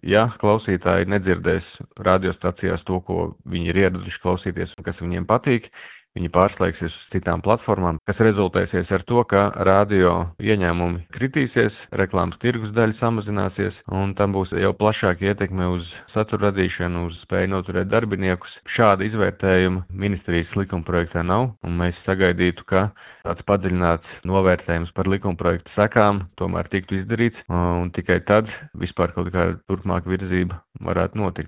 Ja klausītāji nedzirdēs radiostacijās to, ko viņi ir ieraduši klausīties un kas viņiem patīk, viņi pārslēgsies uz citām platformām, kas rezultēsies ar to, ka radio ieņēmumi kritīsies, reklāmas tirgus daļa samazināsies, un tam būs jau plašāka ietekme uz satura radīšanu, uz spēju noturēt darbiniekus. Šāda izvērtējuma ministrijas likumprojektā nav, un mēs sagaidītu, ka tāds padziļināts novērtējums par likumprojektu sekām tomēr tiktu izdarīts, un tikai tad vispār kaut kāda turpmāka virzība varētu notikt.